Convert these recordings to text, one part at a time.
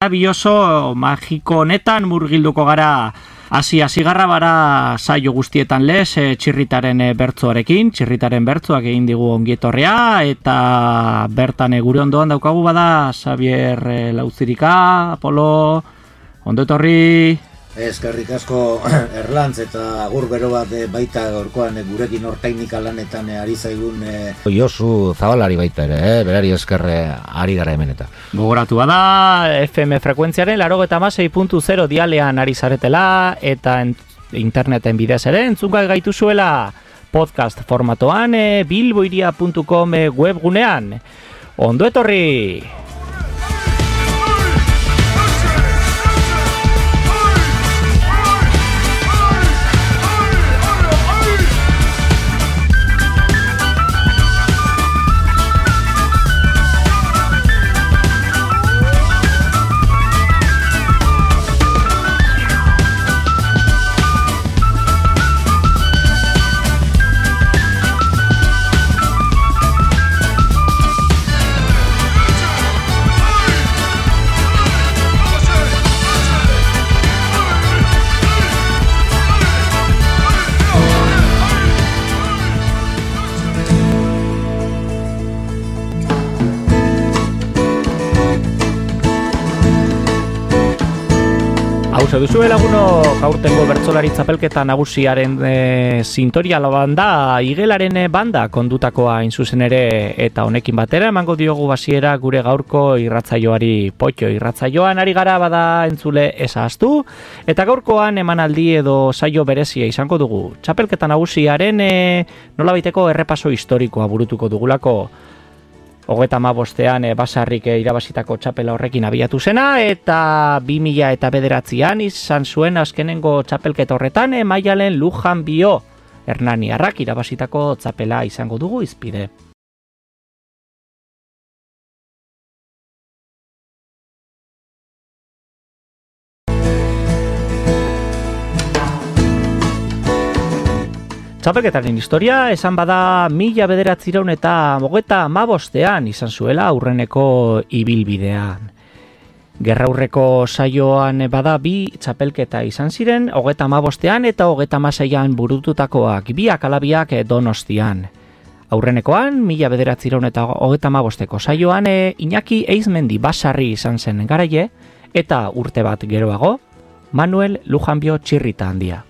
Bi oso magiko honetan murgilduko gara hasigarra bara saio guztietan lez txirritaren bertsoarekin, txirritaren bertsoak egin digu ongietorrea eta bertan gure ondoan daukagu bada Xabier Lauzirika, Apolo, ondo etorri. Eskerrik asko Erlantz eta agur bero bat baita gaurkoan gurekin hor teknika lanetan ari zaigun Josu Zabalari baita ere, berari eskerre ari gara hemen eta. Gogoratu bada, FM frekuentziaren 96.0 dialean ari zaretela eta interneten bidez ere entzungai gaituzuela podcast formatoan bilboiria.com webgunean. Ondo etorri! Hauze duzu laguno gaurtengo bertsolari txapelketa nagusiaren sintoria banda, igelaren banda kondutakoa hain zuzen ere eta honekin batera emango diogu hasiera gure gaurko irratsaioari. Potxo irratsaioan ari gara bada entzule ezahaztu eta gaurkoan emanaldi edo saio berezia izango dugu. Txapelketa nagusiaren nolabaiteko errepaso historikoa burutuko dugulako. 35ean Basarrik irabazitako txapela horrekin abiatu zena eta 2009an izan zuen azkenengo txapelketa horretan Maialen Lujan Bio Hernaniarrak irabazitako txapela izango dugu hizpide. Txapelketaren historia esan bada 1995ean izan zuela aurreneko ibilbidean. Gerraurreko saioan bada bi txapelketa izan ziren 35ean eta 36ean burututakoak, biak alabiak Donostian. Aurrenekoan 1995eko saioan Iñaki Eizmendi Basarri izan zen garaile eta urte bat geroago Manuel Lujanbio Txirrita handia.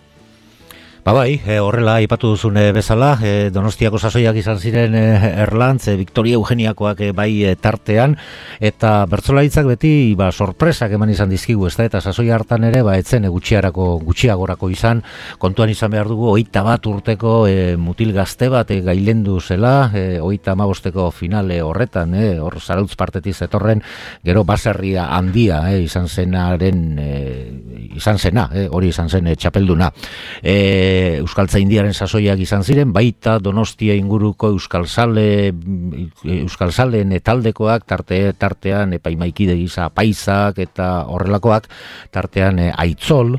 Bai, horrela aipatu duzun bezala, Donostiako sasoiak izan ziren Erlantz, Victoria Eugeniakoak bai tartean, eta bertsolaritzak beti sorpresak eman izan dizkigu, eta sasoi hartan ere etzen gutxiagorako izan, kontuan izan behar dugu 21 urteko mutil gazte bat gailendu zela, 35eko finale horretan, hor Zarautz partetik zetorren, gero Baserria handia izan zena, hori izan zen txapelduna. Euskaltzaindiaren sasoiak izan ziren, baita Donostia inguruko euskalzaleen taldekoak, tartean epaimaikide gisa Paisak eta horrelakoak, tartean Aitzol,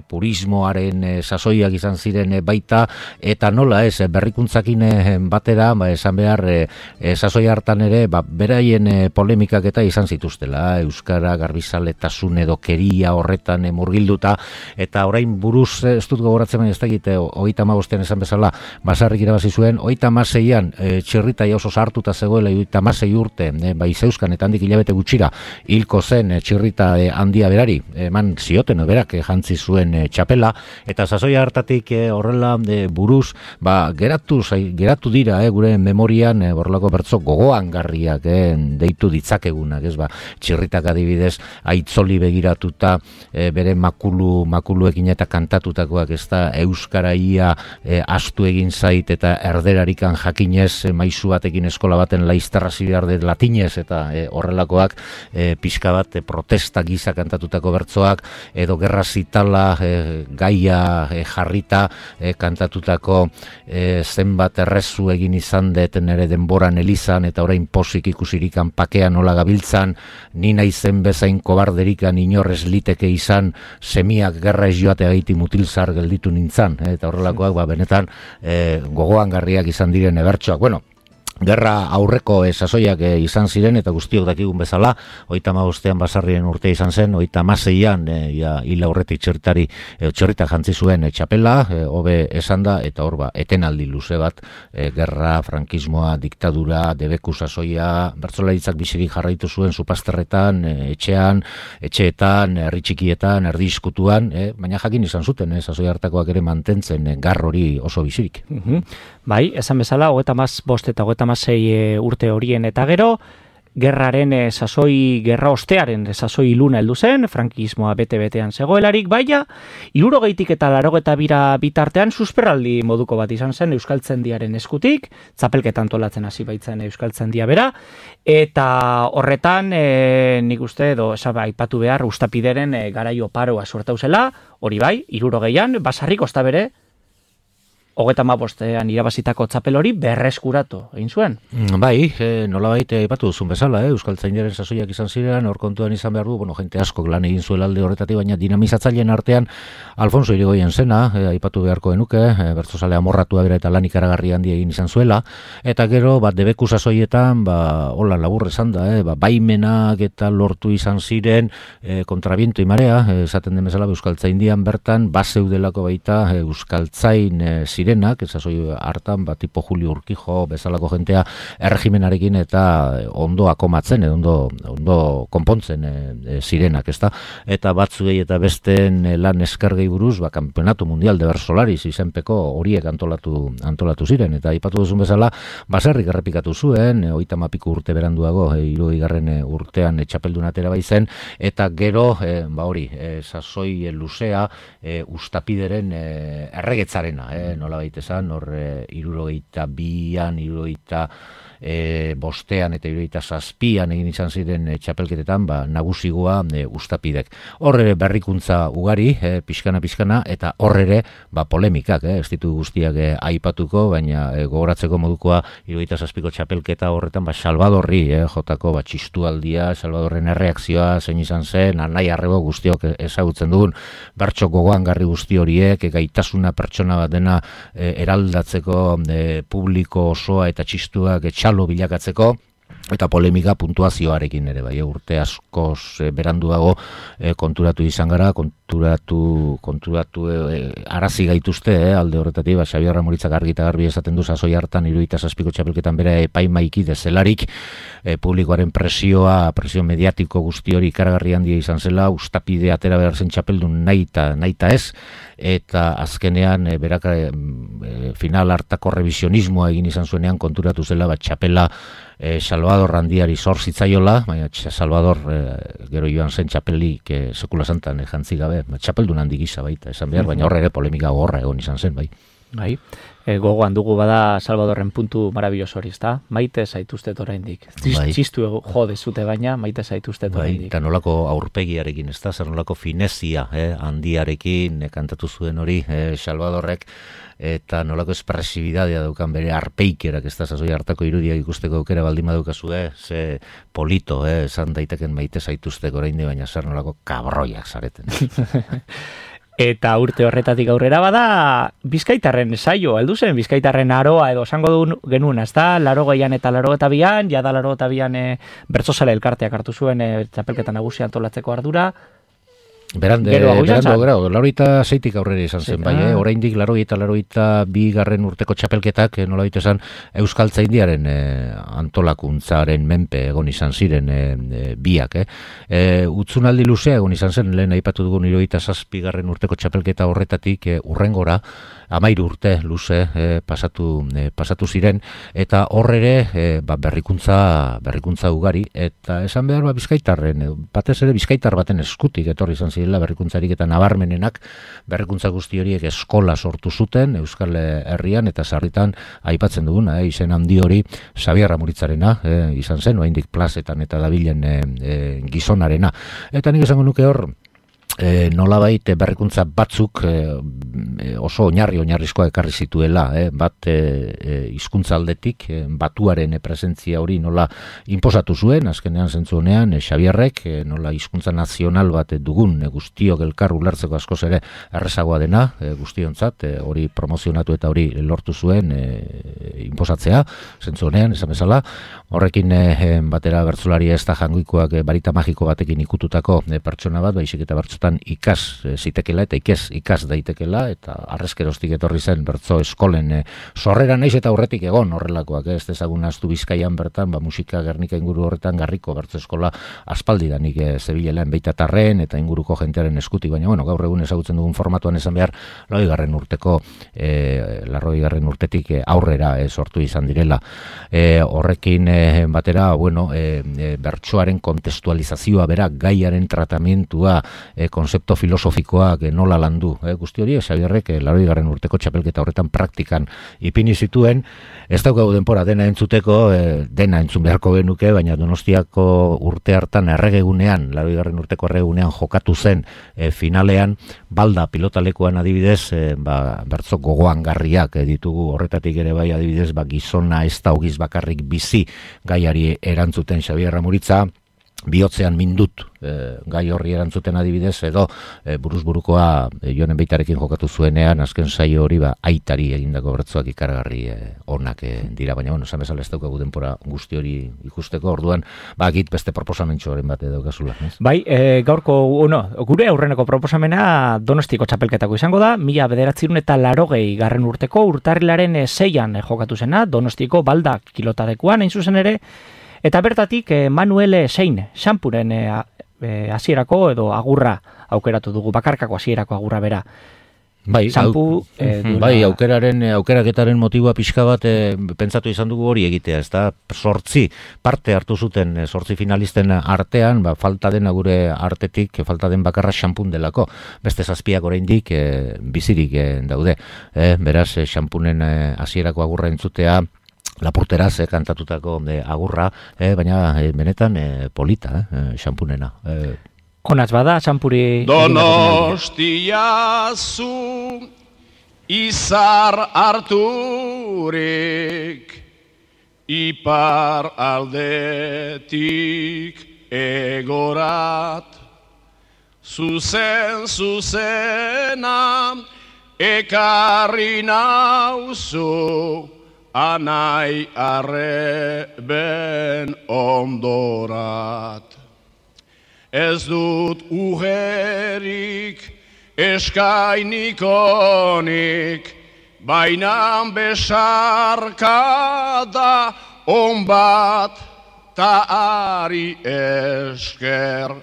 purismoaren sasoiak izan ziren baita, eta nola ez, berrikuntzakin batera, esan behar, sasoi hartan ere, beraien polemikak eta izan zituztela, euskara garbizaletasun edo keria horretan murgilduta, eta orain buruz ez dut gogoratzen ez dakit 35ean esan bezala Basarrik irabazi zuen, 36ean Txirrita oso sartuta zegoela 36 urte, bai zeuzkan eta handik hilabete gutxira hilko zen Txirrita handia berari, eman zioten berak jantzi zuen txapela, eta sasoia hartatik horrela buruz, geratu dira gure memorian horrelako bertso gogoangarriak deitu ditzakegunak, Txirritak adibidez Aitzoli begiratuta bere makuluekin eta kantatutakoak euskaraia astu egin zait eta erderarikan jakinez maizu batekin eskola baten laizterrazi behar dut latinez eta horrelakoak pixka bat protesta giza kantatutako bertsoak edo gerra zitala gaia jarrita kantatutako zenbat errezu egin izan deten ere denboran elizan eta orain posik ikusirikan pakean nola gabiltzan, ni naizen bezain kobarderikan inorrez liteke izan semiak gerra ez joate gaiti mutilzar gelditu nintzan, eta horrelakoak benetan gogoangarriak izan diren bertsoak. Bueno, Gerra aurreko sasoiak izan ziren, eta guztiok dakigun bezala, 35ean Basarrien urte izan zen, 36ean hil aurretik txorrita jantzi zuen txapela, hobe esan da, eta hor etenaldi luze bat, gerra, frankismoa, diktadura, debeku sasoia, bertsolaritzak bizirik jarraitu zuen Supasterretan, etxeetan, herri txikietan, erdi iskutuan, baina jakin izan zuten, sasoi hartakoak ere mantentzen gar hori oso bizirik. Bai, esan bezala, 35 eta 36 urte horien eta gero, gerraren gerra ostearen sasoi iluna heldu zen, frankismoa bete-betean zegoelarik, baina 60 eta 82 bitartean susperraldi moduko bat izan zen Euskaltzaindiaren eskutik, txapelketa antolatzen hasi baitzen Euskaltzaindia bera, eta horretan nik uste edo aipatu behar Ustapideren garaio paroa sortau zela, hori bai, 60an Basarrik osta bere 35ean irabazitako txapel hori berreskuratu egin zuen. Bai, nolabait aipatu duzun bezala, Euskaltzaindiaren sasoiak izan ziren, hor kontuan izan behar du, jente askok lan egin zuela alde horretatik, baina dinamizatzaileen artean Alfonso Irigoyen zena, aipatu beharko genuke, bertsozale amorratua bera eta lan ikaragarri handi egin izan zuela, eta gero, debeku sasoietan, hola labur esan da, baimenak eta lortu izan ziren, kontrabiento imarea, esaten den bezala, Euskaltzaindian bertan, baseudelako baita Euskaltzain zirenak, sasoi hartan, tipo Julio Urquijo bezalako jentea erregimenarekin eta ondo akomatzen, ondo konpontzen zirenak, ezta? Eta batzuei eta besten lan eskargei buruz, Campeonato Mundial de Bersolaris izenpeko horiek antolatu ziren, eta aipatu duzun bezala, Basarrik errepikatu zuen, 30 urte beranduago, 60. urtean txapeldun atera baizen, eta gero, sasoi luzea, Ustapideren erregetzarena, nola baita esan, hor 62an, 65ean eta 67ean egin izan ziren txapelketetan, nagusigoa Ustapidek. Horre berrikuntza ugari, pixkana, eta horre polemikak, ez ditu guztiak aipatuko, baina gogoratzeko modukoa 67ko txapelketa horretan, Salvadorri jotako txistualdia, Salvadorren erreakzioa zein izan zen, anai arrebo guztiok ezagutzen dugun, bertso gogoan garri guzti horiek, gaitasuna pertsona bat dena eraldatzeko publiko osoa eta txistuak txalo bilakatzeko, eta polemika puntuazioarekin ere, urte askoz beranduago konturatu izan gara, konturatu arazi gaituzte, alde horretatik, Xabier Ramoritzak argi eta garbi esaten du sasoi hartan 67ko txapelketan bera epaimaiki dezelarik, publikoaren presio mediatiko guzti hori ikaragarri handia izan zela, Ustapide atera behar zen txapeldun nahita ez, eta azkenean berak final hartako revisionismoa egin izan zuenean konturatu zela txapela Salvador handiari zor zitzaiola, baina Salvador gero joan zen txapelik sekula santan jantzi gabe, txapeldun handi gisa baita esan behar, baina horre ere polemika gorra egon izan zen, bai. Bai, gogoan dugu bada Salvadorren puntu marabilloso hori, ezta? Maite zaituztet oraindik. Txistu jode zute baina, maite zaituztet oraindik. Eta nolako aurpegiarekin, ezta? Zer nolako finezia handiarekin kantatu zuen hori Salvadorrek, eta nolako espresibidadea daukan bere arpeikerak, ez da, sasoi hartako irudiak ikusteko aukera baldin badukazue, ze polito, esan daiteken maite zaituzteko oraindik, baina zer nolako kabroiak zareten. Eta urte horretatik aurrera bada Bizkaitarren saio, heldu zen Bizkaitarren aroa edo esango genuen, ezta? 80an eta 82an, jada 82an bertsozale elkarteak hartu zuen txapelketa nagusia antolatzeko ardura. Berandu, 86tik aurrera izan zen, bai, oraindik 82 urteko txapelketak, nolabait esan, Euskaltzaindiaren antolakuntzaren menpe egon izan ziren biak. Utzunaldi luzea egon izan zen, lehen aipatu dugun 77 urteko txapelketa horretatik urrengora, 13 urte luze pasatu ziren, eta horrere berrikuntza ugari, eta esan behar Bizkaitarren, batez ere Bizkaitar baten eskutik etorri izan zirela berrikuntzarik eta nabarmenenak, berrikuntza guzti horiek eskola sortu zuten Euskal Herrian, eta sarritan aipatzen duguna, izen handi hori Xabier Ramoritzarena izan zen, oraindik plazetan eta dabilen gizonarena. Eta nik esango nuke hor, nolabait berrikuntza batzuk oso oinarrizkoa ekarri zituela, bat hizkuntza aldetik batuaren presentzia hori nola inposatu zuen, azkenean zentzu honean Xabierrek nola hizkuntza nazional bat dugun guztiok elkar ulertzeko askoz ere errezagoa dena guztiontzat, hori promozionatu eta hori lortu zuen inposatzea, zentzu honean, esan bezala, horrekin batera bertsolari ez da jangoikoak barita magiko batekin ikututako pertsona bat, baizik eta bertsotan ikas zitekela eta ikas daitekela, eta arrezkeroztik etorri zen bertso eskolen sorrera naiz eta aurretik egon horrelakoak, ez dezagun ahaztu Bizkaian bertan, musika Gernika inguru horretan garriko bertso eskola aspaldidanik zebilean Beitatarren eta inguruko jentearen eskutik, baina bueno, gaur egun ezagutzen dugun formatuan esan behar 80. urtetik aurrera sortu izan direla. Horrekin batera, bueno, bertsoaren kontestualizazioa bera, gaiaren tratamentua, konzepto filosofikoak nola landu, guzti hori, Xabierrek 80. urteko txapelketa horretan praktikan ipini zituen, ez daukagu denpora dena entzuteko, dena entzun beharko genuke, baina Donostiako urte hartan erregegunean, 80. urteko erregegunean jokatu zen finalean, balda pilotalekuan adibidez, bertso gogoangarriak ditugu, horretatik ere bai adibidez, gizona ez da ogiz bakarrik bizi gaiari erantzuten Xabier Amuritza, bihotzean mindut gai horri erantzuten adibidez, edo buruzburukoa Jonen Beitarekin jokatu zuenean, azken saio hori aitari egindako bertsoak ikaragarri onak dira, baina bueno, esan bezala ez daukagu denpora guzti hori ikusteko, orduan agit beste proposamentxoaren bat daukazula. Bai, gaurko, gure aurreneko proposamena Donostiko txapelketako izango da, 1980 urteko urtarrilaren 6an jokatu zena, Donostiko balda kilotalekuan, hain zuzen ere, eta bertatik Manuel Sein, xampuren hasierako edo agurra aukeratu dugu, bakarkako hasierako agurra bera. Bai, aukeraketaren motiboa pixka bat pentsatu izan dugu hori egitea, ez da, 8 parte hartu zuten 8 finalisten artean, falta dena gure artetik, falta den bakarra xampun delako, beste 7 oraindik bizirik daude, beraz, xampunen hasierako agurra entzutea, Lapurteraz kantatutako agurra, baina benetan polita, xampunena. Onaz bada, xampuri... Donostia zu izar harturik, ipar aldetik egorat, zuzena ekarri nauzu, anai arreben ondorat. Ez dut ujerik eskainikonik, bainan besarka da onbat ta ari esker,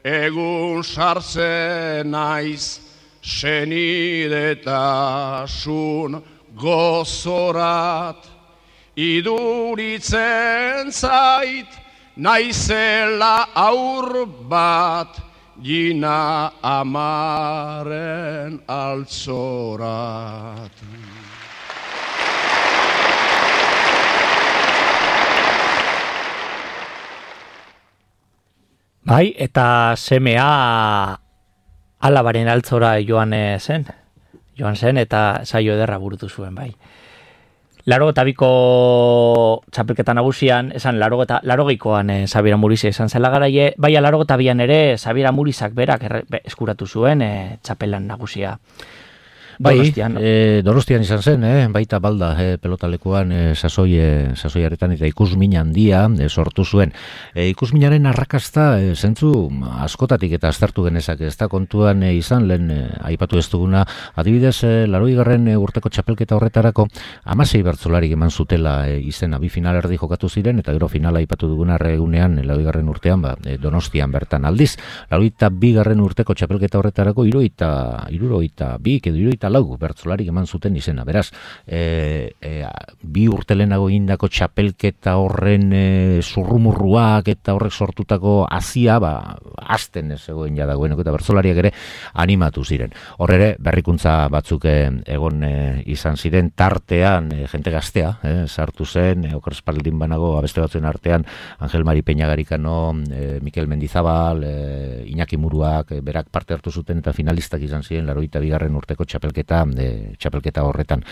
egun sartzen naiz senidetasun gozorat, iduritzen zait naizela aur bat, gina amaren altzorat. Bai, eta semea alabaren altzora joan zen eta saio ederra burutu zuen, bai. 82ko txapelketa nagusian, esan 80koan Xabier Amuriz esan zela garaie, bai 82an ere Xabier Amurizak berak eskuratu zuen txapelan nagusia. Donostian izan zen, baita balda pelotalekuan sasoiaretan eta ikusmin handia sortu zuen. Ikusminaren arrakasta zentzu askotatik eta aztertu genezak, ez da kontuan izan lehen aipatu ez duguna, adibidez 80. urteko txapelketa horretarako 16 bertsolarik eman zutela izena, bi final erdi jokatu ziren eta gero finala aipatu duguna erregunean 80. urtean Donostian bertan aldiz. 82. urteko txapelketa horretarako 72 74 bertsolarik eman zuten izena. Beraz, 2 urte lehenago egindako txapelketa horren zurrumurruak eta horrek sortutako hazia, azten ez egoen jadagoeneko eta bertsolariak ere animatu ziren. Hor ere, berrikuntza batzuk egon izan ziren, tartean jente gaztea, sartu zen, oker espaldin banago abeste batzuen artean Angel Mari Peñagarikano, Mikel Mendizabal, Iñaki Muruak, berak parte hartu zuten eta finalistak izan ziren 82. urteko txapelketa horretan.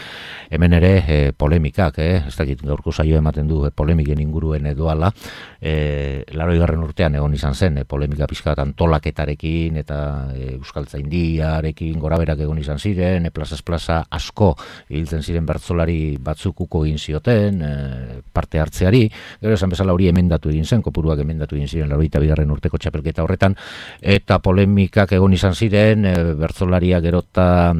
Hemen ere polemikak, ez dakit gaurko saio ematen du polemiken inguruen doala, 80. urtean egon izan zen polemika pixka bat antolaketarekin eta Euskaltzaindiarekin goraberak egon izan ziren, plazaz plaza asko hiltzen ziren bertsolari batzuk uko egin zioten parte hartzeari, gero esan bezala hori emendatu egin zen, kopuruak emendatu egin ziren 82. urteko txapelketa horretan, eta polemikak egon izan ziren, bertsolaria gerota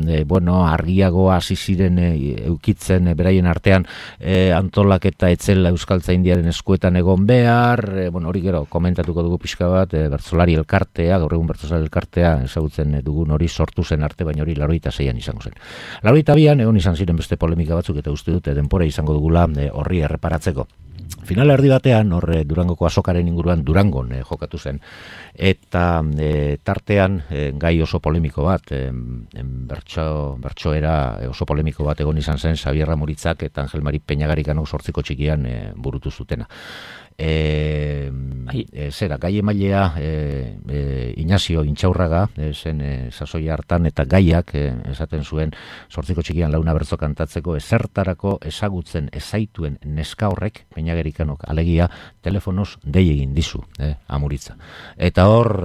argiago hasi ziren eukitzen beraien artean antolaketa etzela Euskaltzaindiaren eskuetan egon behar, hori gero komentatuko dugu pixka bat, bertsolari elkartea, gaur egun bertsolari elkartea ezagutzen dugun hori sortu zen arte, baina hori 86an izango zen. 82an egon izan ziren beste polemika batzuk eta uste dute denbora izango dugula horri erreparatzeko. Final erdi batean, Durangoko azokaren inguruan Durangon jokatu zen, eta tartean gai oso polemiko bat, bertsoera oso polemiko bat egon izan zen Xabier Ramuritzak eta Angel Mari Peñagarikano 8 txikian burutu zutena. Gai emailea Ignacio Intxaurraga zen sasoia hartan eta gaiak esaten zuen 8 txikian launa bertso kantatzeko ezertarako ezagutzen ezaituen neska horrek Peñagarikanok alegia telefonoz dei egin dizu Amuritza. Eta hor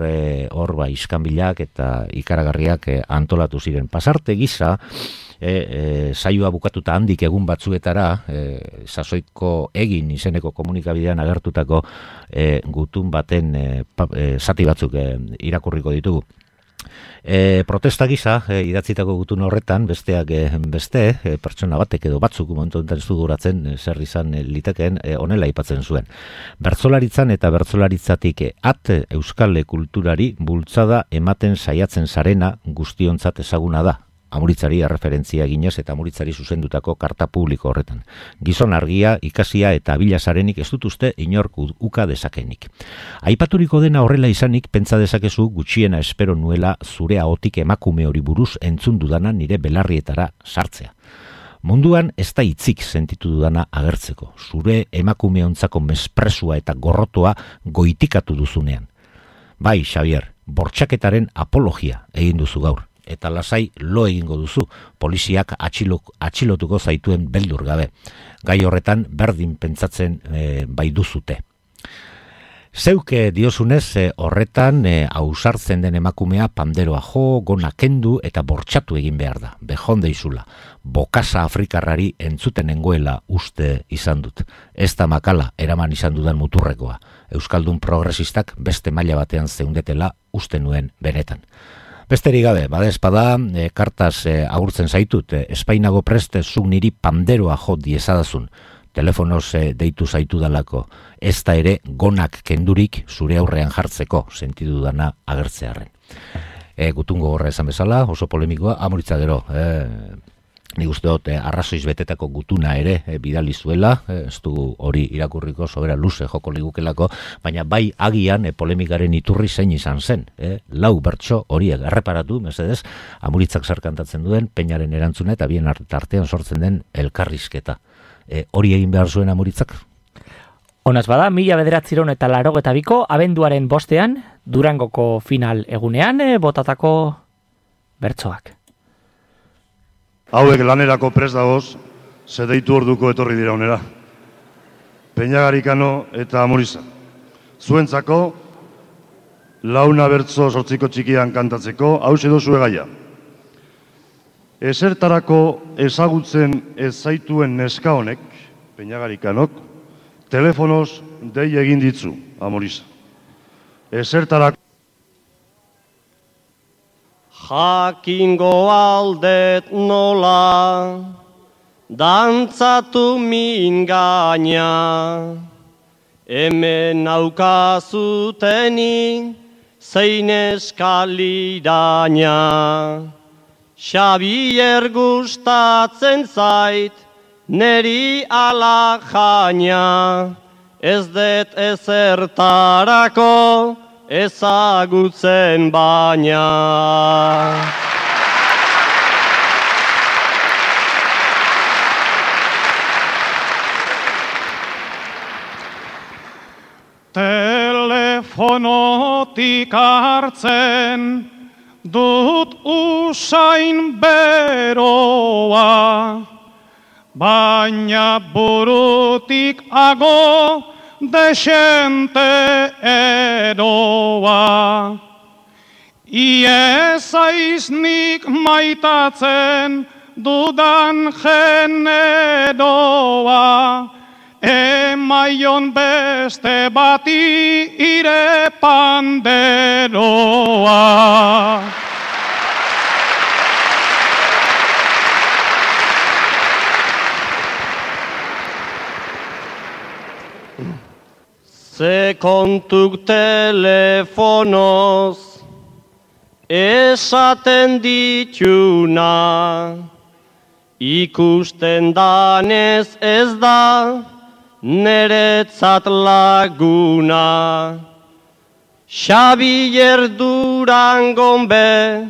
iskanbilak eta ikaragarriak antolatu ziren. Pasarte gisa saioa bukatuta handik egun batzuetara sasoiko egin izeneko komunikabidean agertutako gutun baten zati batzuk irakurriko ditugu. Protesta gisa idatzitako gutun horretan besteak beste pertsona batek edo batzuk momentu honetan ez duguratzen zer izan litekeen honela aipatzen zuen. Bertsolaritzan eta bertsolaritzatik euskal kulturari bultzada ematen saiatzen sarena guztiontzat ezaguna da. Amuritzari erreferentzia eginez eta Amuritzari zuzendutako karta publiko horretan. Gizon argia, ikasia eta abilasarenik ez dut uste inork uka dezakenik. Aipaturiko dena horrela izanik, pentsa dezakezu gutxiena espero nuela zure ahotik emakume hori buruz entzun dudana nire belarrietara sartzea. Munduan ez da hitzik sentitu dudana agertzeko, zure emakumeontzako mespresua eta gorrotoa goitikatu duzunean. Bai, Xavier, bortxaketaren apologia egin duzu gaur. Eta lasai lo egingo duzu, poliziak atxilotuko zaituen beldur gabe. Gai horretan berdin pentsatzen bai duzute. Zeuke diozunez horretan ausartzen den emakumea panderoa jo, gona kendu eta bortxatu egin behar da. Bejonde izula, bokasa afrikarrari entzuten nengoela uste izan dut. Ez da makala eraman izan dudan muturrekoa. Euskaldun progresistak beste maila batean zeundetela uste nuen benetan. Besterik gabe, badezpada, kartaz agurtzen zaitut, espainago preste zuk niri panderoa jo diezadazun. Telefonoz deitu zaitu dalako, ez da ere gonak kendurik zure aurrean jartzeko, sentidu dana agertzearren. Gutungo gorra esan bezala, oso polemikoa, Amuritza gero, nik uste dut arrazoiz betetako gutuna ere bidali zuela, ez du hori irakurriko sobera luze joko ligukelako, baina bai agian polemikaren iturri zein izan zen. Lau bertso horiek erreparatu, mesedez, Amuritzak zer kantatzen duen, Peñaren erantzuna eta bien artean sortzen den elkarrizketa. Hori egin behar zuen Amuritzak? Honaz bada, 1982ko abenduaren 5ean, Durangoko final egunean, botatako bertsoak. Hauek lanerako prest dagoz, zedeitu orduko etorri dira honera. Peñagarikano eta Amuriza. Zuentzako, launa bertso 8 txikian kantatzeko, hauxe dozue gaia. Ezertarako ezagutzen ez zaituen neska honek, Peñagarikanok, telefonoz dei egin ditzu, Amuriza. Ezertarako jakingo aldet nola, dantzatu min gaina, hemen naukazuteni zein eskaliraina. Xabier gustatzen zait, neri ala jaina, ez dut ezertarako ezagutzen baina. Telefonotik hartzen dut usain beroa, baina burutik ago desente eroa. Iez aiznik maitatzen dudan generoa, emaion beste bati ire panderoa. Ze kontuk telefonoz esaten dituna, ikusten danez ez da neretzat laguna. Xabier Durangon be,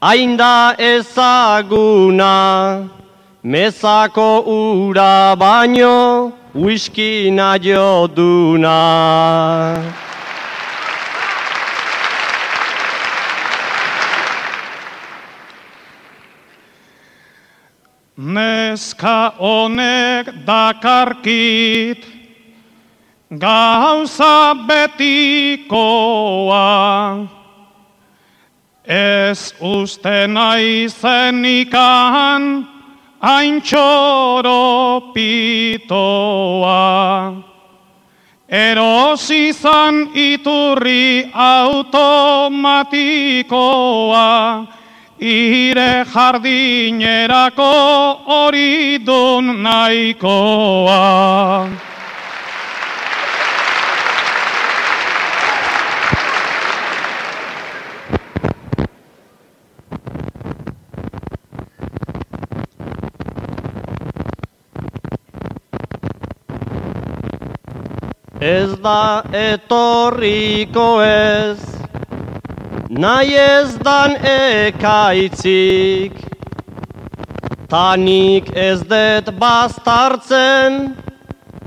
hain da ezaguna, mezako ura baino, whisky naio duna. Neska honek dakarkit, gauza betikoa, ez uste naizenikan hain txoropitoa. Erosi zan iturri automatikoa, ire jardinerako hori dun nahikoa. Ez da etorriko ez, nahi ez dan ekaitzik, tanik ez det bastartzen,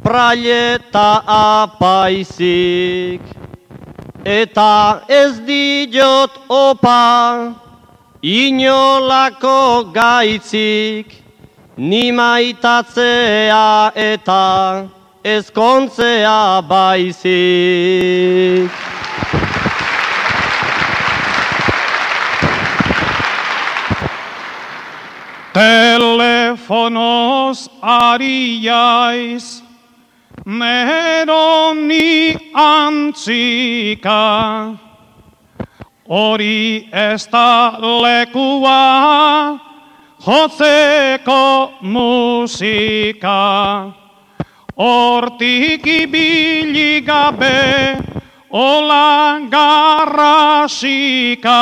praileta apaizik. Eta ez diot opa, inolako gaitzik, ni maitatzea eta ezkontzea baizik. Telefonoz ari jaiz, neroni antzika, hori ez da lekua, jotzeko musika. Hortik ibili gabe, ola garrasika,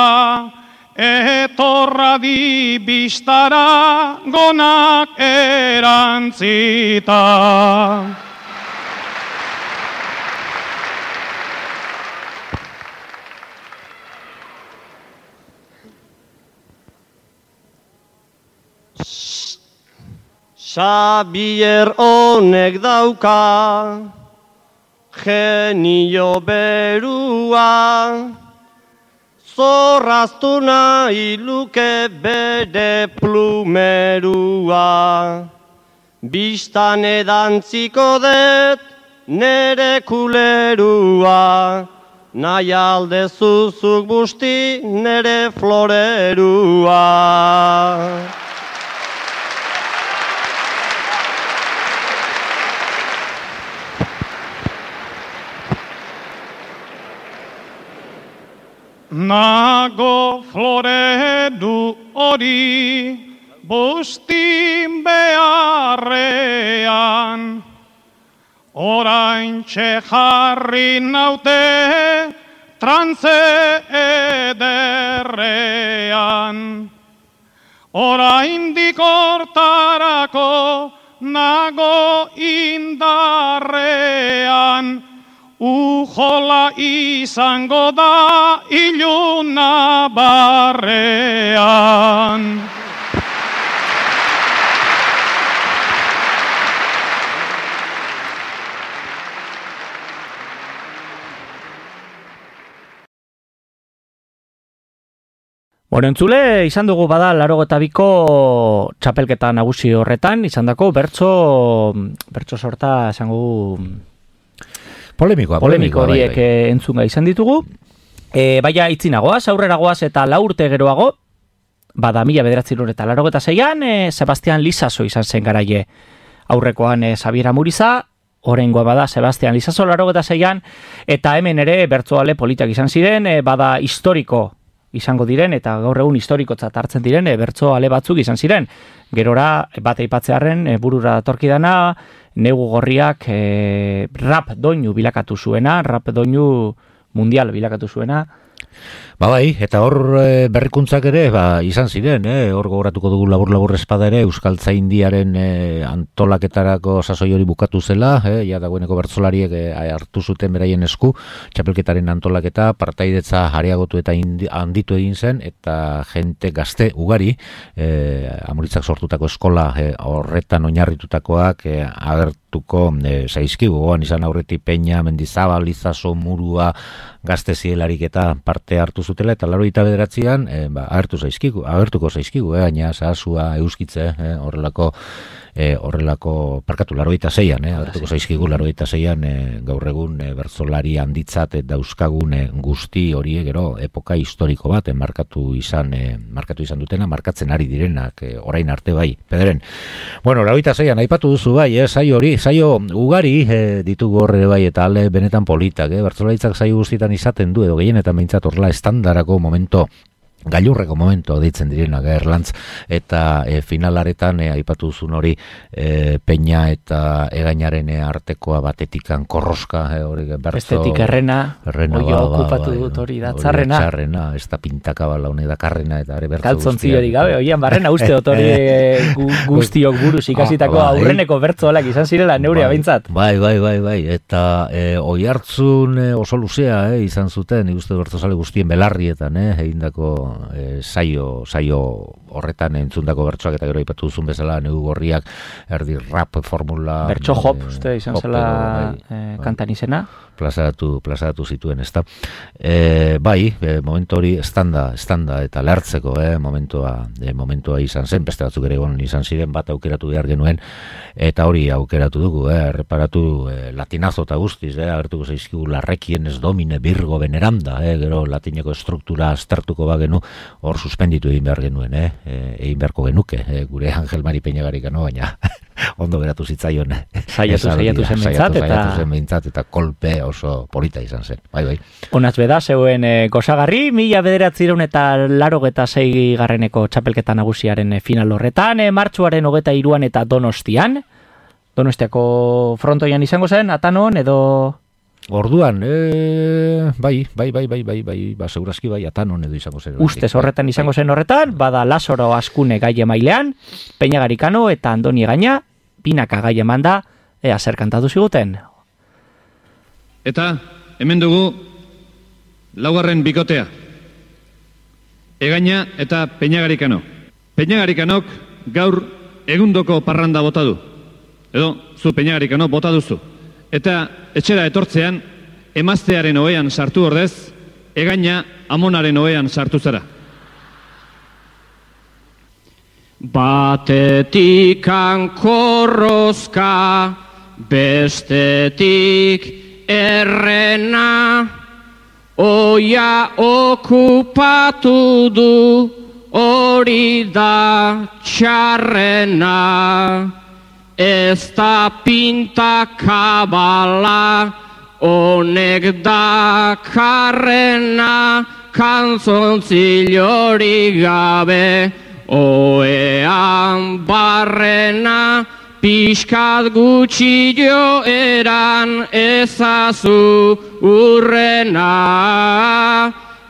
etorra di bistara gonak erantzita. Xabier honek dauka, genio berua, zorraztu nahi luke bere plumerua. Bistan edantziko det nere kulerua, nahi alde zuzuk busti nere florerua. Nago floredu hori bustin beharrean, oraintxe jarri naute trantze ederrean. oraindik hortarako nago indarrean, ujola izango da iluna barrean. Bueno, entzule, izan dugu bada 82ko txapelketa nagusi horretan, izan dako bertso sorta esango polemiko horiek entzunga izan ditugu. Baina itzinagoaz, aurreragoaz eta 4 urte geroago, bada 1986an, Sebastian Lizaso izan zen garaie. Aurrekoan Xabiera Muriza, oraingoa bada Sebastian Lizaso 86an, eta hemen ere bertsoale politak izan ziren, bada historiko izango diren, eta gaur egun historikotzat hartzen diren, bertsoale batzuk izan ziren. Gerora, bat aipatzearren, burura datorkidana, Negu Gorriak rap doinu bilakatu zuena, rap doinu mundial bilakatu zuena. Bai, eta hor berrikuntzak ere izan ziren, hor gogoratuko dugu labur espada ere Euskaltzaindiaren antolaketarako sasoi hori bukatu zela, ja dagoeneko bertsolariek hartu zuten beraien esku, txapelketaren antolaketa, partaidetza areagotu eta handitu egin zen, eta jente gazte ugari, Amuritzak sortutako eskola horretan oinarritutakoak agertuko zaizkigu, goan izan aurretik Peña, Mendizabal, Lizaso, Murua, gazte zielarik eta parte hartu zutela, eta 89an agertuko zaizkigu, baina zahazua euskitze, horrelako parkatu 86an, agertuko zaizkigu 86an gaur egun bertsolari handitzat dauzkagun guzti horiek gero epoka historiko bat markatu izan dutena, markatzen ari direnak orain arte bai, pederen. Bueno, 86an aipatu duzu bai, saio ugari ditugu horre bai, eta ale benetan politak, bertsolaritzak saio guztietan izaten du, edo gehienetan behintzat horrela estandarako momento, gailurreko momento deitzen direnak Erlantz, eta finalaretan aipatu duzun hori Peña eta Egainaren artekoa batetikan korroska, hori bestetik errena okupatu dut hori da, txarrena, ez da pintakabala honek da karrena, eta ere bertzo kaltzontzi hori gabe, oian barrena uste dut hori guztiok buruz ikasitako aurreneko bertzoalak izan zirela neurea behintzat. Bai, eta oihartzun oso luzea izan zuten, ikuste bertzozale guztien belarrietan egindako saio horretan entzundako bertsoak, eta gero aipatu duzun bezala Negu Gorriak erdi rap formula bertso hop uste izan zela kantan izena plazaratu zituen, ezta. Momentu hori estanda eta lertzeko momentua izan zen, beste batzuk ere izan ziren, bat aukeratu behar genuen, eta hori aukeratu dugu, erreparatu latinazo eta guztiz, agertuko zaizkigu Larrekienes Domine Virgo Veneranda, gero latineko struktura aztertuko bagenu, hor suspenditu egin behar genuen, egin beharko genuke, gure Angel Mari Peñagarikano, baina ondo geratu zitzaion. Saiatu zen behintzat, eta kolpe oso polita izan zen. Bai. Onaz beda, zeuen gozagarri, 1986 txapelketa nagusiaren final horretan, martxuaren 23an eta Donostiako frontoian izango zen, Atanon edo... Orduan, bai, segurazki bai, Atanon edo izango zen. Ustez horretan izango zen horretan, bada Lazaro Askune gai emailean, Peñagarikano eta Andoni Egaina, binaka gai eman da, zer kantatu ziguten. Eta, hemen dugu, 4. bikotea. Egaina eta Peñagarikano. Peñagarikanok gaur egundoko parranda bota du. Edo, zu Peñagarikano bota duzu. Eta etxera etortzean, emaztearen ohean sartu ordez, Egaina amonaren ohean sartu zara. Batetikan korrozka, bestetik errena, oia okupatu du, hori da txarrena. Ez da pintakabala, honek da karrena, kantzontzilori gabe, oean barrena, pixkat gutxi joeran ezazu urrena,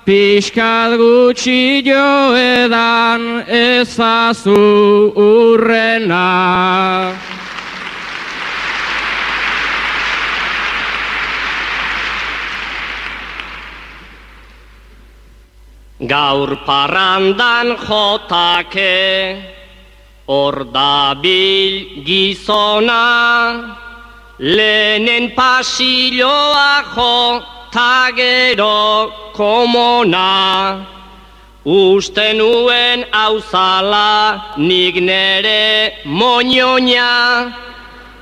pixkat gutxi joedan ezazu urrena. Gaur parrandan jotake, hor dabil gizona, lehenen pasilloa jo, ta gero komona. Uste nuen auzala nik nere moñoña,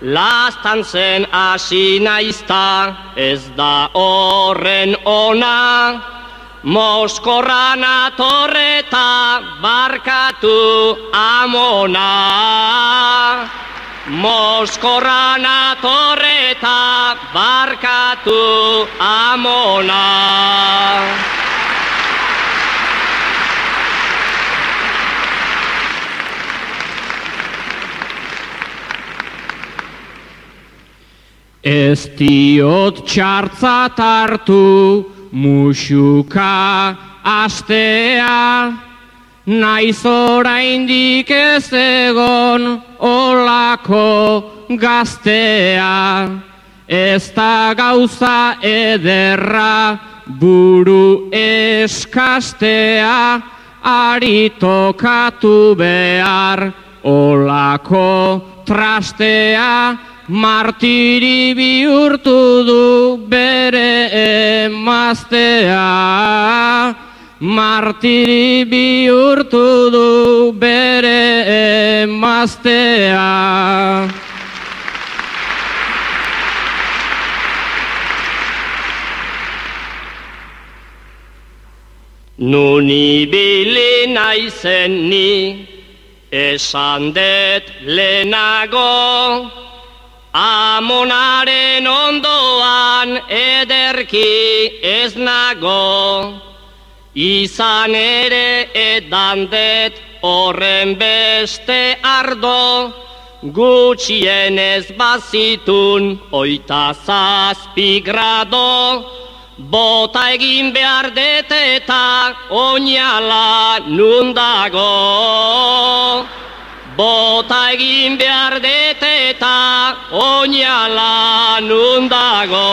lastan zen hasi naizta ez da horren ona. Moskorran atorreta barkatu amona. Moskorran atorreta barkatu amona. Ez diot txartzat hartu musuka astea, naiz oraindik ez egon olako gaztea. Ez da gauza ederra buru eskastea, ari tokatu behar olako trastea. Martiri bihurtu du bere emaztea. Martiri bihurtu du bere emaztea. Nun ibili naizen ni, esan det lehenago, amonaren ondoan ederki ez nago. Izan ere edandet horren beste ardo, gutxienez bazitun 27 grado. Bota egin behar det eta oinala nun dago. Bota egin behar det eta oinala nun dago.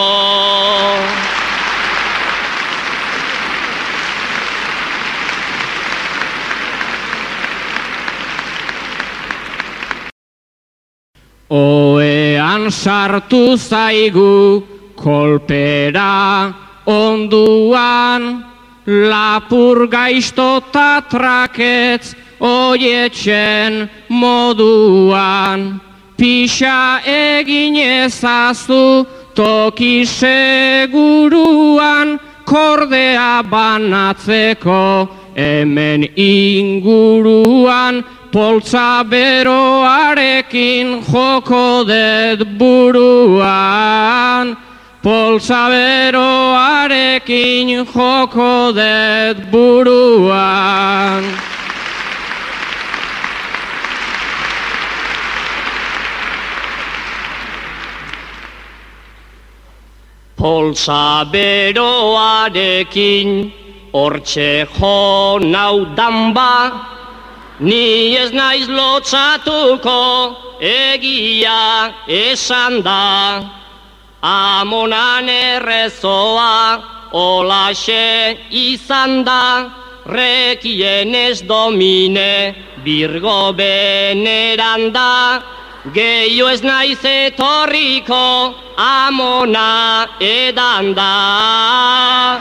Oean sartu zaigu kolpera onduan, lapur gaiztota traketz oietzen moduan. Pixa egin ezazu toki seguruan, kordea banatzeko hemen inguruan. Poltza beroarekin joko det buruan. Poltza beroarekin joko det buruan. Poltza beroarekin hortxe jo naudan ba, ni ez naiz lotzatuko egia esan da. Amonan errezoa olaxe izan da, rekien ez domine birgo beneran da. Gehiu ez naiz etorriko amona edan da.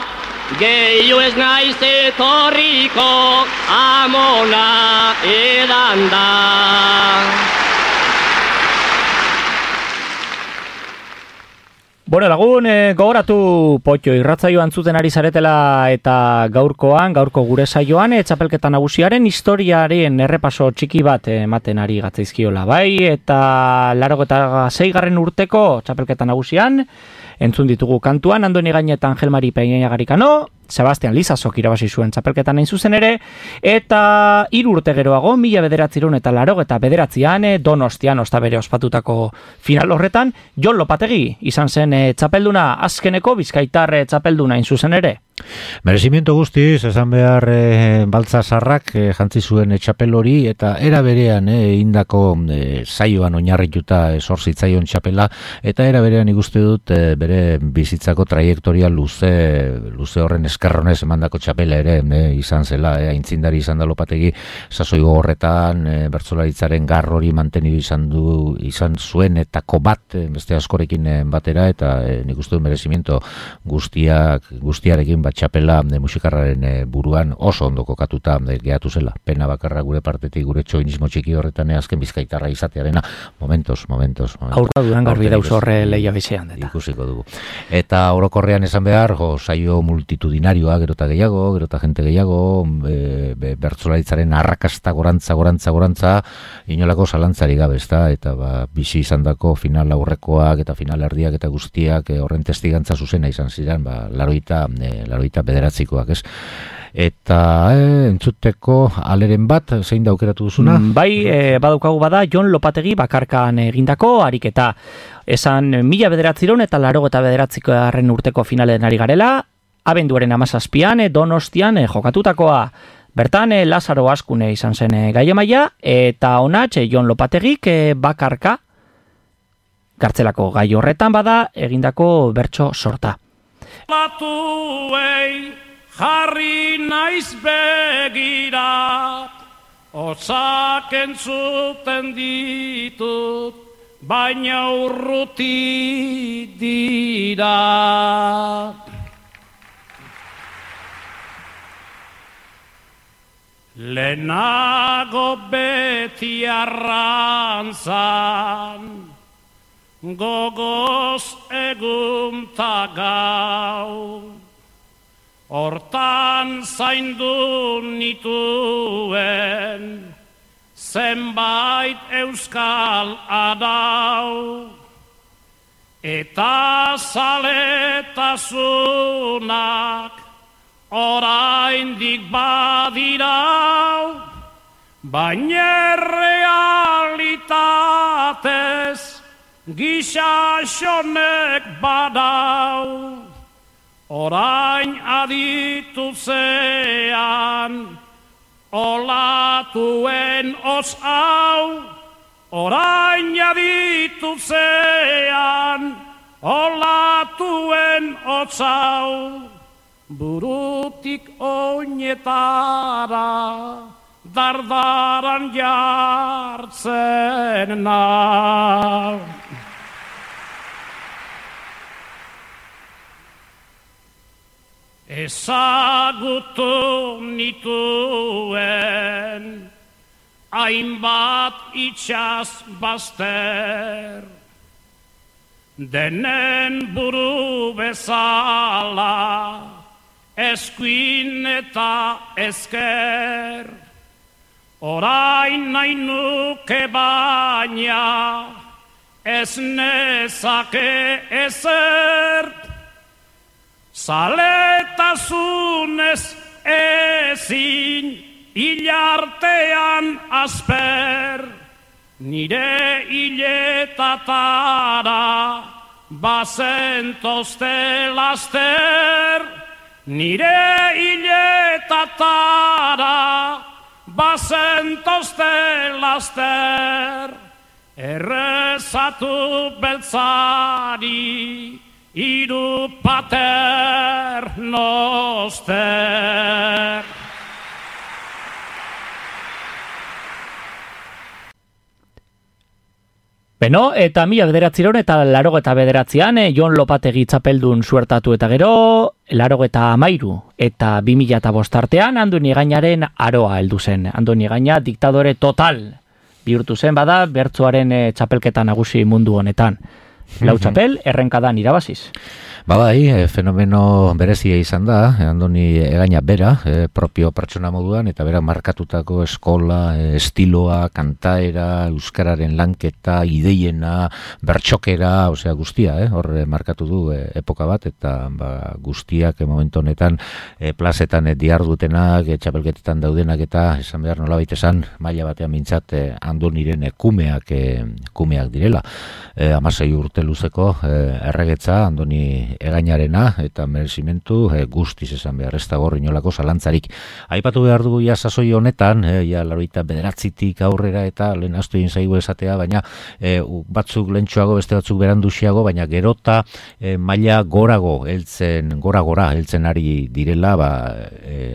Gehiu ez naiz etorriko amona edan da. Bueno, lagun, gogoratu Potxo irratzaioan zuten ari zaretela eta gaurko gure saioan txapelketa nagusiaren historiaren errepaso txiki bat ematen ari gatzaizkiola, bai? Eta 86. urteko txapelketa nagusian entzun ditugu kantuan Andoni Gañeta eta Angel Mari Peña Garikano, Sebastian Lizazok irabazi zuen txapelketan hain zuzen ere, eta 3 urte geroago, 1999an Donostian osta bere ospatutako final horretan, Jon Lopategi izan zen txapelduna, azkeneko bizkaitar txapelduna hain zuzen ere. Merezimiento guztiz, esan behar Baltzazarrak jantzi zuen txapel hori, eta era berean indako zaioan oinarrituta zorzitzaion txapela, eta era berean ikuste dut bere bizitzako traiektoria luze horren eskerronez emandako txapela ere izan zela, aintzindari izan da Lopategi sasoi gogorretan, bertsolaritzaren garrori mantenidu izan zuen etako bat, beste askorekin batera, eta nik uste dut merezimiento guztiarekin bat txapela musikarraren buruan oso ondo kokatuta gehatu zela. Pena bakarra gure partetik, gure txoinismo txiki horretan azken bizkaitarra izatearena, momentos. Aurka dudan garbi dauz horre lehia bizean. Ikusiko dugu. Eta orokorrean esan behar, saio multitudinarioa, gerota gehiago, gerota jente gehiago, bertsolaritzaren arrakasta gorantza, inolako zalantzari gabe, ezta? Eta bizi izandako final aurrekoak eta final erdiak eta guztiak horren testigantza zuzena izan ziren, laroita bederatzikoak, ez? Eta entzuteko aleren bat, zein da aukeratu duzuna? Bai, badaukagu bada Jon Lopategi bakarkan egindako ariketa. Esan 1909 eta 1989 urteko finalen ari garela, abenduaren 17an Donostian jokatutakoa. Bertan Lazaro Askune izan zen gaiemaia, eta honatx Jon Lopategik bakarka gartzelako gai horretan bada egindako bertso sorta. Jarri naiz begira, hotzak entzuten ditut, baina urruti dira. Lehenago beti arrantzan, gogoz egun ta gau. Hortan zaindu nituen zenbait euskal adau, eta zaletasunak oraindik badirau, baina realitatez gixaxonek badau. Orain aditu zean, olatuen os hau. Orain aditu zean, olatuen os hau. Burutik oinetara, dardaran jartzen nau. Ezagutu nituen hainbat itxas bazter, denen buru bezala eskuin eta ezker. Orain nahi nuke baina ez nezake ezer, zaletasunez ezin hilartean asper, nire hiletatara bazentozte laster, nire hiletatara bazentozte laster, errezatu beltzari iru pater noster. Beno, eta 1909 eta 1989 Jon Lopategi txapeldun suertatu eta gero, 1913 eta 2005 artean Andoni Egañaren aroa heldu zen. Andoni Egaña diktadore total bihurtu zen bada bertsoaren txapelketa nagusi mundu honetan. Lau txapel, errenkadan irabaziz. Bai, fenomeno berezia izan da, Andoni Egaña bera, propio pertsona moduan, eta bera markatutako eskola, estiloa, kantaera, euskararen lanketa, ideiena, bertxokera, osea guztia, hor markatu du epoka bat, eta guztiak momentu honetan plazetan diardutenak, txapelketetan daudenak, eta esan behar nolabait esan, maila batean mintzat Andoniren kumeak direla. 16 urte luzeko erregetza Andoni egainarena eta merezimentu guztiz esan behar, ez dago inolako zalantzarik. Aipatu behar dugu ja sasoi honetan, ja 89tik aurrera eta lehen astu egin zaigu esatea, baina batzuk lentsuago, beste batzuk beranduxiago, baina gerota maila gora heltzen ari direla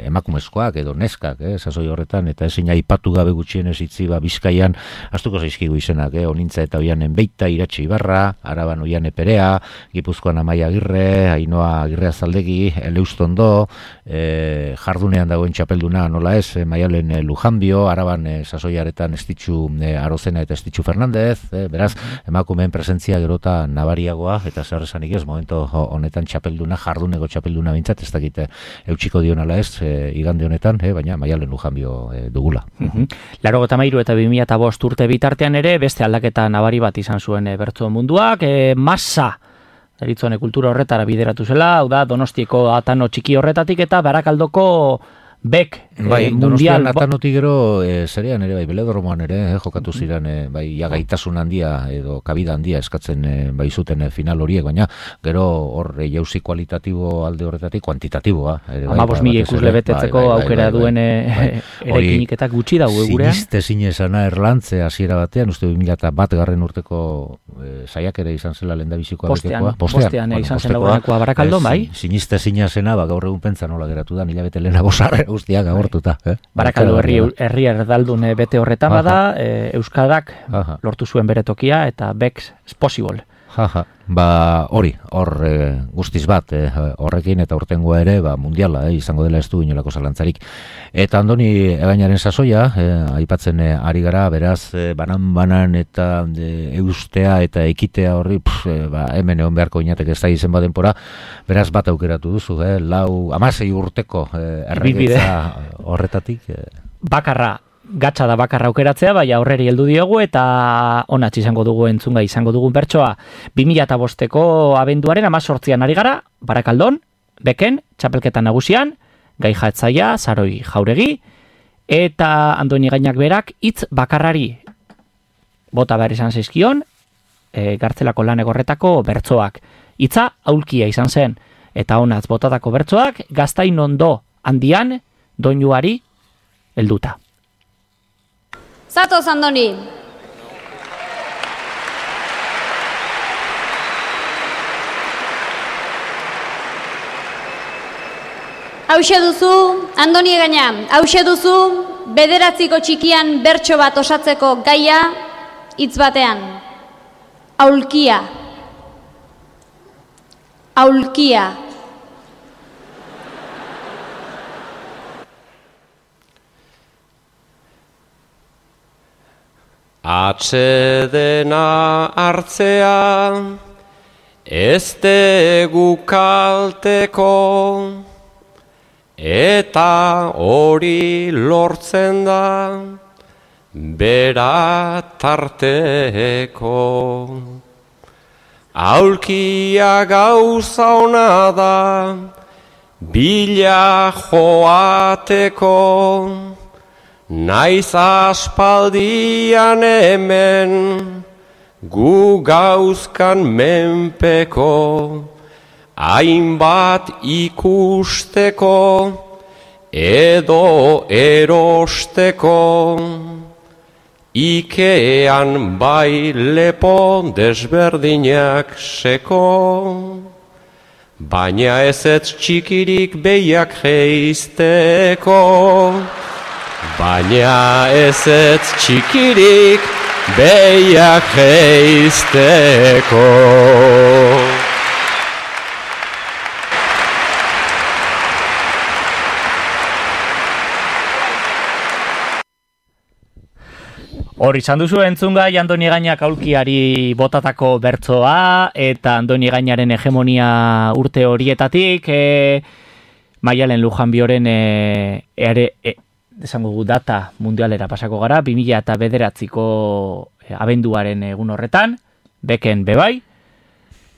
emakumezkoak edo neskak, sasoi horretan, eta ezin aipatu gabe gutxienez itzi Bizkaian, astuko zaizkigu izenak, Onintza eta Oianen Beita, Iratxe Ibarra, Araban Oiane Perea, Gipuzkoan Amaia Agirre, Ainhoa Agirre Azaldegi, Eleustondo, jardunean dagoen txapelduna nola ez, Maialen Lujanbio, Araban sasoiaretan Estitxu Arozena eta Estitxu Fernandez, beraz, emakumeen presentzia gerota nabariagoa, eta zer esanik ez, momento honetan txapelduna, jarduneko txapelduna bintzat, ez dakite eutxiko dionala ez, igande honetan, baina Maialen Lujanbio dugula. 83 eta 2005 urte bitartean ere, beste aldaketa nabari bat izan zuen bertso munduak, masa deritzone kultura horretara bideratu zela, hau da Donostieko atano txiki horretatik eta Barakaldoko Bek Donostian atanotik gero zerean ere, Beledormoan ere, jokatu ziren, gaitasun handia edo kabida handia eskatzen zuten final horiek, baina gero hor jauzi kualitatibo alde horretatik kuantitatiboa. 15.000 ikusle betetzeko aukera duen erekiniketak gutxi dago gurean. Siniste zinezana Erlantze hasiera batean, uste 2001 garren urteko saiak ere izan zela lehendabizikoa betekoa. Postean izan zela gurenekoa Barakaldon, bai? Siniste zinezena, gaur egun pentsa nola geratu da, hilabete lehenago guztiak agortuta. Barakaldo herri erdaldun bete horretan bada, Euskarak lortu zuen bere tokia eta Bex is possible. Hori, hor guztiz bat horrekin eta urtengoa ere mundiala izango dela ez du inolako zalantzarik. Eta Andoni Egainaren sasoia, aipatzen ari gara, beraz, banan eta eustea eta ekitea horri, hemen egon beharko inateke ez da izen badenpora, beraz bat aukeratu duzu, 16 urteko erregetza horretatik. Gatsa da bakarra aukeratzea, bai aurreri heldu diogu eta onatz izango dugu entzunga izango dugun bertsoa 2005ko abenduaren 18an ari gara, Barakaldon, Beken, txapelketa nagusian, gai jatzaia, Saroi Jauregi, eta Andoni Gainak berak hitz bakarrari bota behar izan zaizkion, gartzelako lan egorretako bertsoak. Hitza aulkia izan zen, eta onatz botatako bertsoak Gaztain ondo handian doinuari helduta. Zatoz, Andoni! Hauxe duzu, Andoni Egaina, hauxe duzu, 9 txikian bertso bat osatzeko gaia, hitz batean. Aulkia. Aulkia. Atsedena hartzea, ez dugu kalteko, eta hori lortzen da, bera tarteko. Aulkia gauza ona da, bila joateko, naiz aspaldian hemen, gu gauzkan menpeko, hainbat ikusteko, edo erosteko, Ikean bai lepo desberdinak seko, baina ezetz txikirik behiak geizteko. Baina ezetz txikirik behiak geizteko. Hor izan duzu entzungai Andoni Gainak aulkiari botatako bertsoa eta Andoni Gainaren hegemonia urte horietatik Maialen Lujanbioren esango data mundialera pasako gara 2009ko abenduaren egun horretan, Beken bebai,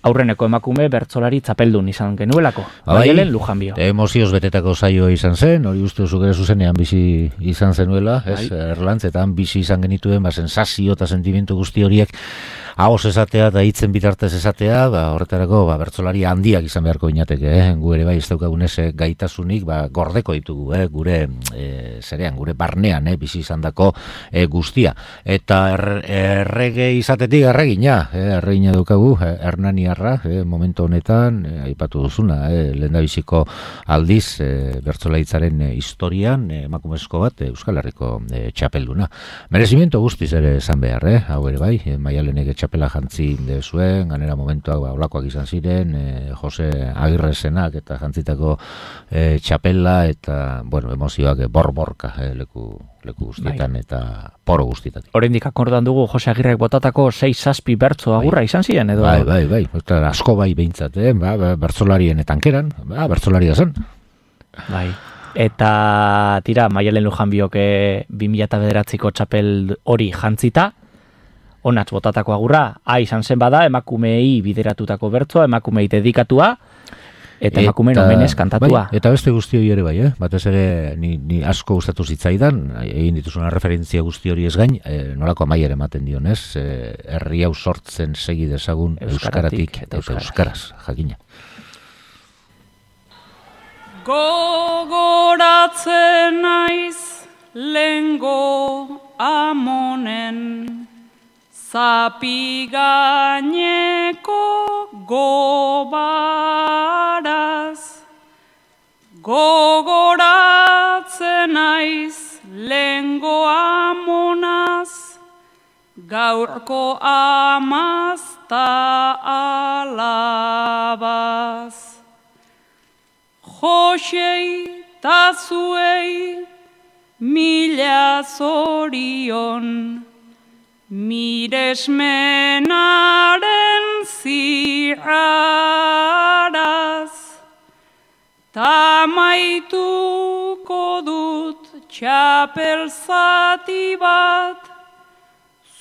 aurreneko emakume bertsolari txapeldun izan genuelako. Maialen Lujanbio. Emozioz betetako saio izan zen, hori uste zuk ere zuzenean bizi izan zenuela, Erlantzetan bizi izan genituen, sensazio eta sentimentu guzti horiek ahoz esatea eta hitzen bitartez esatea, horretarako bertsolari handiak izan beharko inateke, gu ere bai ez daukagunez gaitasunik gordeko ditugu, gure gure barnean bizi izandako guztia. Eta errege izatetik erregina daukagu, Hernaniarra, momentu honetan, aipatu duzuna, lehendabiziko aldiz bertsolaritzaren historian, emakumezko bat Euskal Herriko txapelduna. Merezimiento guztiz ere esan behar, hau ere bai, Maialenek txapela jantzi zuen, ganera momentuak olakoak izan ziren, Jose Agirresenak eta jantzitako txapela eta, emozioak borborka leku guztietan eta poro guztietan. Oraindik akordan dugu Jose Agirrek botatako 6-7 bertso agurra izan ziren, edo? Bai, asko bai behintzat, bertsolarien etankeran, bertsolaria zen. Bai. Eta tira, Maialen Lujanbiok 2009ko txapel hori jantzita, onatz botatako agurra, izan zen bada, emakumeei bideratutako bertsoa, emakumeei dedikatua, eta emakumeen omenez kantatua. Bai, eta beste guzti hori ere bai, batez ere ni asko gustatu zitzaidan, egin dituzuna referentzia guzti hori ez gain, nolako amaiera ematen dionez, herri hau sortzen segi dezagun euskaratik eta euskaraz, jakina. Gogoratzen naiz lengo amonen zapi gaineko gobaraz, gogoratzen naiz lengo amonaz, gaurko amazta alabaz. Josei ta zuei mila zorion, miresmenaren ziaraz, ta maituko dut txapel zati bat,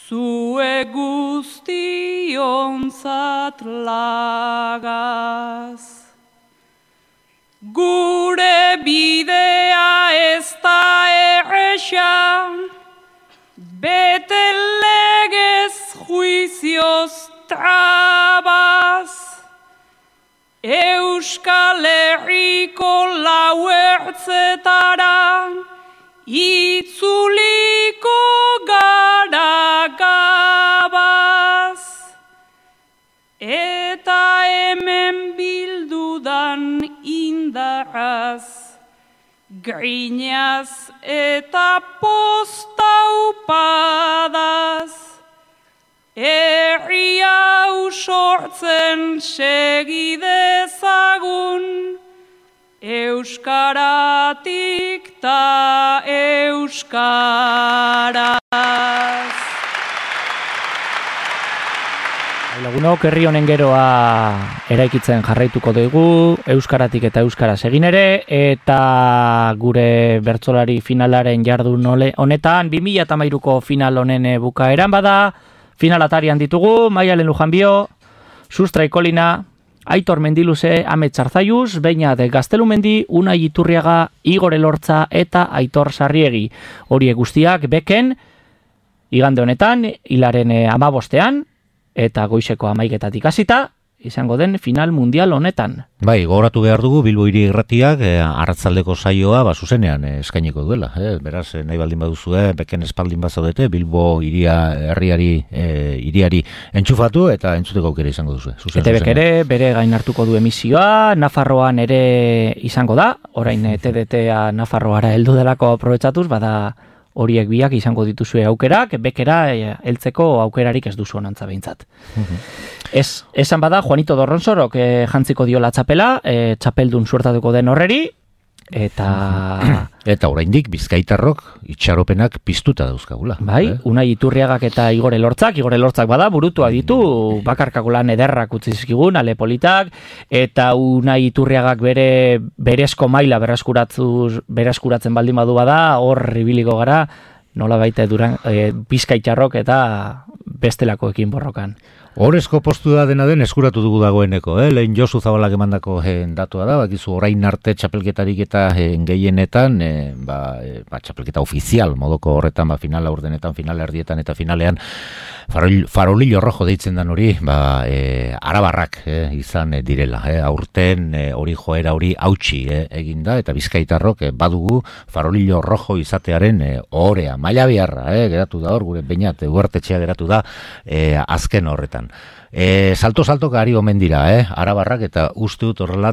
zue guztionzat lagaz. Gure bidea ez da erresa, bete legez juizioz trabaz, Euskal Herriko lau ertzetara itzuliko gara gabaz, eta hemen bildudan indarraz, grinaz eta postaupadaz, herri hau sortzen segidezagun, euskaratik ta euskaraz. Lagunok, herri honen geroa eraikitzen jarraituko dugu, euskaratik eta euskaraz egin ere, eta gure bertsolari finalaren jardun honetan, 2013ko final honen bukaeran bada, finalatarian ditugu, Maialen Lujanbio, Sustrai Kolina, Aitor Mendiluze, Amet Zarzaiuz, Beñat Gaztelumendi, Unai Iturriaga, Igor Elortza eta Aitor Sarriegi. Horiek guztiak beken, igande honetan, hilaren 15ean, eta goizeko 11etatik hasita, izango den final mundial honetan. Bai, gogoratu behar dugu Bilbo Hiri Irratiak arratsaldeko saioa eskainiko eskainiko duela. Beraz, nahi baldin baduzue, beken espaldin bazaudete, Bilbo hiriari entxufatu eta entzuteko aukera izango duzu. ETBek ere bere gain hartuko du emisioa, Nafarroan ere izango da, orain TDTA Nafarroara heldu delako aprobetxatuz, bada horiek biak izango dituzue aukerak, bekera heltzeko aukerarik ez duzu onantza behintzat. Esan bada, Juanito Dorronsorok jantziko diola txapela, txapeldun suertatuko den horreri, eta oraindik Bizkaitarrok itxaropenak piztuta dauzkagula. Bai, Unai Iturriagak eta Igor Elortzak bada burutua ditu, bakarkako lan ederrak utzi zizkigun, ale politak, eta Unai Iturriagak berezko maila bereskuratzen baldin badu bada, hor ibiliko gara, nola baita Bizkaitarrok eta bestelakoekin borrokan. Horezko postu da dena den eskuratu dugu dagoeneko, lehen Josu Zabalak emandako datua da, bakizu orain arte txapelketarik eta gehienetan, txapelketa ofizial modoko horretan, finala urdenetan, finala erdietan eta finalean, farolillo rojo deitzen dan hori, arabarrak izan direla, aurten hori joera hori hautsi eginda, eta bizkaitarrok badugu farolillo rojo izatearen ohorea, maila biharra, geratu da hor, gure Beñat Ugartetxea geratu da azken horretan. Salto gari omen dira, arabarrak, eta uste dut horrela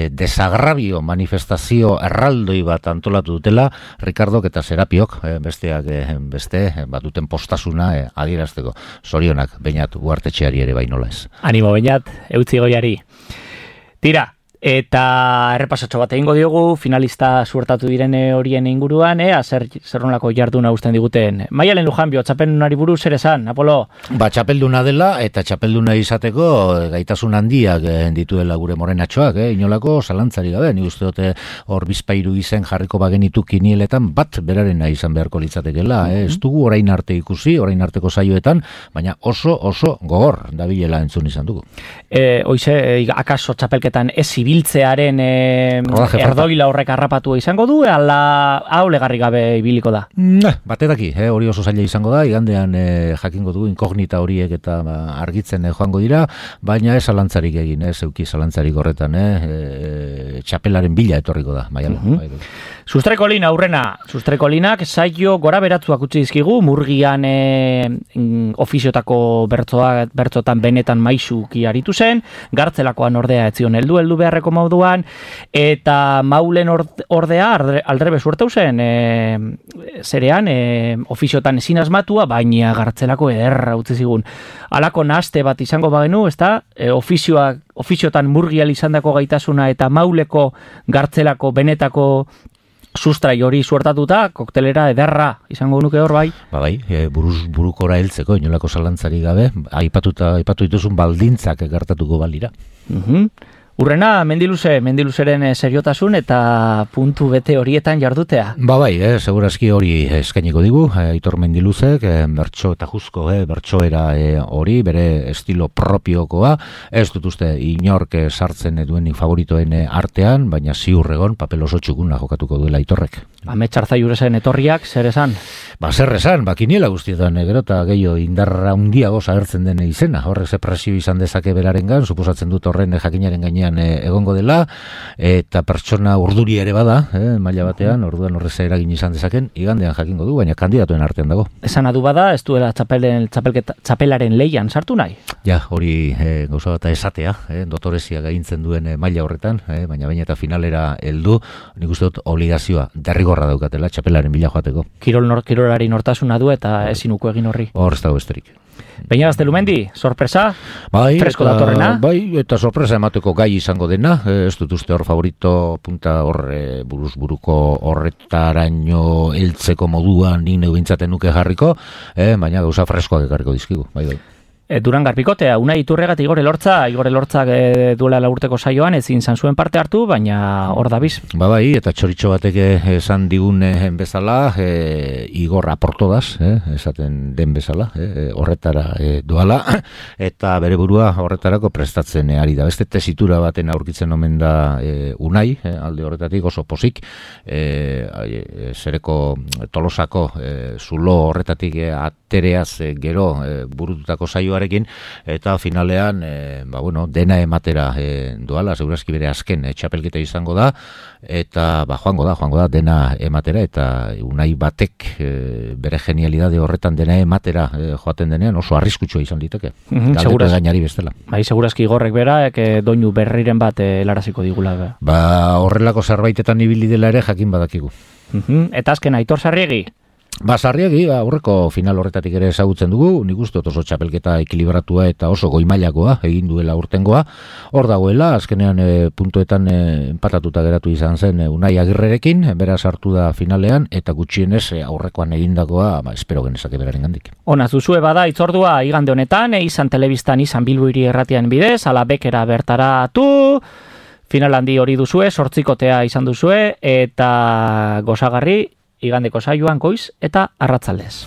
desagrabio manifestazio erraldoi bat antolatu dutela Ricardok eta Serapiok, besteak beste, duten postasuna adierazteko. Zorionak, Beñat Ugartetxeari ere bainola ez. Animo, Beñat, eutzi goiari. Tira, eta errepasatxo bat egingo diogu, finalista suertatu diren horien inguruan, zer nolako jarduna usten diguten. Maialen Lujanbio, txapeldunari buruz zer esan, Apolo? Txapelduna dela, eta txapelduna izateko gaitasun handiak dituela gure morenatxoak, inolako zalantzari gabe, ni uste dute hor bizpairu izen jarriko bagenitu kinieletan bat berarena izan beharko litzatekela, ez dugu orain arte ikusi, orain arteko saioetan, baina oso gogor dabilela entzun izan dugu. Hoize, akaso txapelketan ez ibiltzearen erdoila horrek harrapatua izango du, ala hau legarri gabe ibiliko da? Batetaki, hori oso zaila izango da, igandean jakingo dugu inkognita horiek eta argitzen joango dira, baina ez zalantzarik egin, zeuki zalantzarik horretan, txapelaren bila etorriko da, Maialen. Sustrekolin aurrena, Sustrekolinak saio gora beratzuak utzi dizkigu, Murgian ofiziotako bertzotan benetan maizuki aritu zen, Gartzelakoan ordea etzion heldu beharreko moduan, eta Maulen ordea aldrebe suertau zen, zerean, ofiziotan ezin asmatua, baina Gartzelako ederra utzi zigun. Halako nahaste bat izango bagenu, ezta? Ofiziotan Murgial izandako gaitasuna eta Mauleko Gartzelako benetako sustrai hori suertatuta, koktelera ederra izango nuke hor bai? Bai, burukora heltzeko, inolako zalantzari gabe, aipatu dituzun baldintzak gertatuko balira. Urrena, Mendiluzeren seriotasun eta puntu bete horietan jardutea. Bai, segurazki hori eskainiko digu, Aitor Mendiluzek, bertso eta juzko, bertsoera hori, bere estilo propiokoa, ez dut uste inork sartzen duen favoritoen artean, baina ziur egon papel oso txukuna jokatuko duela Aitorrek. Ametxartza Juresen etorriak, zer esan? Zer esan, kiniela guztietan, gero eta gehiago indarra handiago agertzen den izena, horrek ze presio izan dezake berarengan, suposatzen dut horren jakinaren gainean egongo dela, eta pertsona urduri ere bada, maila batean, orduan horrez eragin izan dezaken, igandean jakingo du, baina kandidatuen artean dago. Esan adu bada, ez duela txapelaren leian sartu nahi? Ja, hori gauza bat esatea, dotorezia gaintzen duen maila horretan, baina baina eta finalera heldu, nik uste dut obligazioa derrigorra daukatela txapelaren bila joateko. Kirolari nortasuna du eta ezinuko egin horri. Hor ez dago besterik. Beñat Gaztelumendi, sorpresa? Bai, fresko datorrena? Bai, eta sorpresa emateko gai izango dena, ez dut uste hor favorito punta hor buruz-buruko horretaraino heltzeko moduan nik neu bintzaten nuke jarriko, baina gauza freskoak ekarriko dizkigu, bai. Durangar Pikotea, Unai Iturregat Igor Elortzak duela laurteko saioan ezin izan zuen parte hartu, baina hor dabiz. Bai, eta txoritxo batek esan digun bezala, Igor aportodaz, esaten den bezala, horretara doala, eta bere burua horretarako prestatzen ari da. Beste tesitura baten aurkitzen omen da Unai, alde horretatik oso posik, zereko Tolosako zulo horretatik atereaz gero burututako saioa eta finalean dena ematera doala, segurazki bere azken txapelketa izango da, eta joango da dena ematera, eta Unai batek bere genialidade horretan dena ematera joaten denean oso arriskutsua izan liteke. Galdeko gainari bestela. Bai, segurazki Igorrek bera, doinu berriren bat helaraziko digula. Horrelako zerbaitetan ibili dela ere jakin badakigu. Eta azken Aitor Sarriegi? Sarriegi, aurreko final horretatik ere ezagutzen dugu, nik uste oso txapelketa ekilibratua eta oso goimailakoa egin duela urtengoa. Hor dagoela, azkenean puntuetan empatatuta geratu izan zen Unai Agirrerekin, beraz hartu da finalean, eta gutxienez aurrekoan egindakoa, espero genezake beraren gandik. Ona, zuzue bada itzordua igande honetan, izan telebistan, izan Bilbo Hiri Erratian bidez, ala bekera bertaratu, final handi hori duzue, 8kotea izan duzue, eta gozagarri, igandeko saioan goiz eta arratzaldez.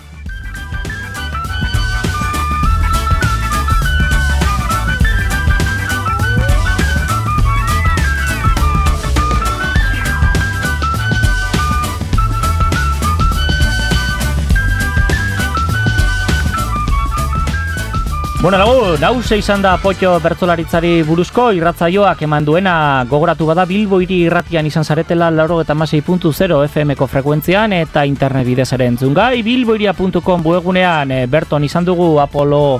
Bueno, lagun, hause izan da Potxo bertsolaritzari buruzko irratzaioak eman duena. Gogoratu bada Bilbo hiri irratian izan zaretela 96.0 FM-ko frekuentzian eta internet bidez ere entzungai. bilboiria.com webgunean berton izan dugu Apolo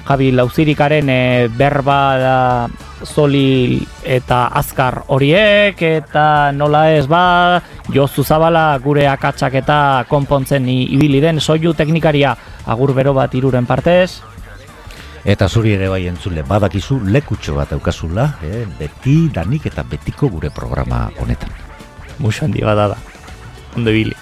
Javi Lauzirikaren berba da zoli eta azkar horiek, eta nola ez ba Josu Zabala gure akatsak eta konpontzen ibili den soinu teknikaria. Agur bero bat Iruren partez. Eta zuri ere bai entzule badakizu lekutxo bat daukazula, beti danik eta betiko gure programa honetan. Muxo handi bada da. Ondo ibili.